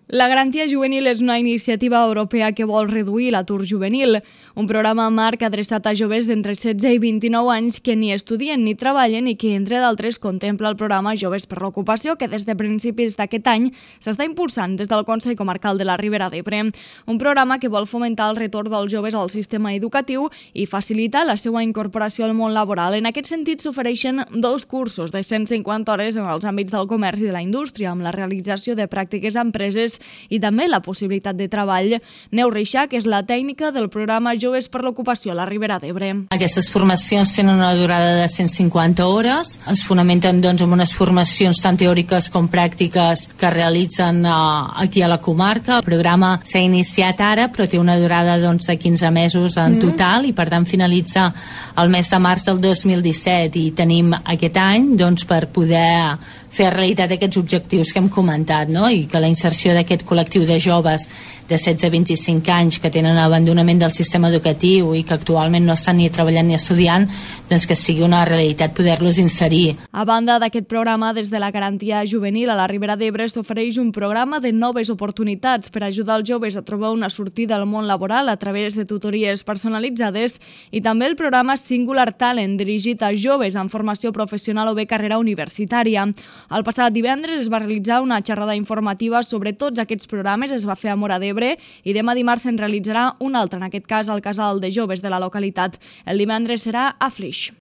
La Garantia Juvenil és una iniciativa europea que vol reduir l'atur juvenil, un programa marc adreçat a joves d'entre 16 i 29 anys que ni estudien ni treballen i que, entre d'altres, contempla el programa Joves per l'Ocupació, que des de principis d'aquest any s'està impulsant des del Consell Comarcal de la Ribera d'Ebre. Un programa que vol fomentar el retorn dels joves al sistema educatiu i facilitar la seva incorporació al món laboral. En aquest sentit, s'ofereixen 2 cursos de 150 hores en els àmbits del comerç i de la indústria, amb la realització de pràctiques a empreses i també la possibilitat de treball. Neus Reixach és la tècnica del programa Joves per l'Ocupació a la Ribera d'Ebre. Aquestes formacions tenen una durada de 150 hores, es fonamenten en unes formacions tant teòriques com pràctiques que realitzen aquí a la comarca. El programa s'ha iniciat ara, però té una durada de 15 mesos en total i per tant finalitza el mes de març del 2017 i tenim aquest any per poder fer realitat aquests objectius que hem comentat, no? I que la inserció d'aquest col·lectiu de joves de 16 a 25 anys que tenen abandonament del sistema educatiu i que actualment no estan ni treballant ni estudiant, que sigui una realitat poder-los inserir. A banda d'aquest programa, des de la Garantia Juvenil a la Ribera d'Ebre s'ofereix un programa de noves oportunitats per ajudar els joves a trobar una sortida al món laboral a través de tutories personalitzades i també el programa Singular Talent, dirigit a joves en formació professional o bé carrera universitària. El passat divendres es va realitzar una xerrada informativa sobre tots aquests programes, es va fer a Móra d'Ebre i demà dimarts se'n realitzarà una altra, en aquest cas al Casal de Joves de la localitat. El divendres serà a Flix.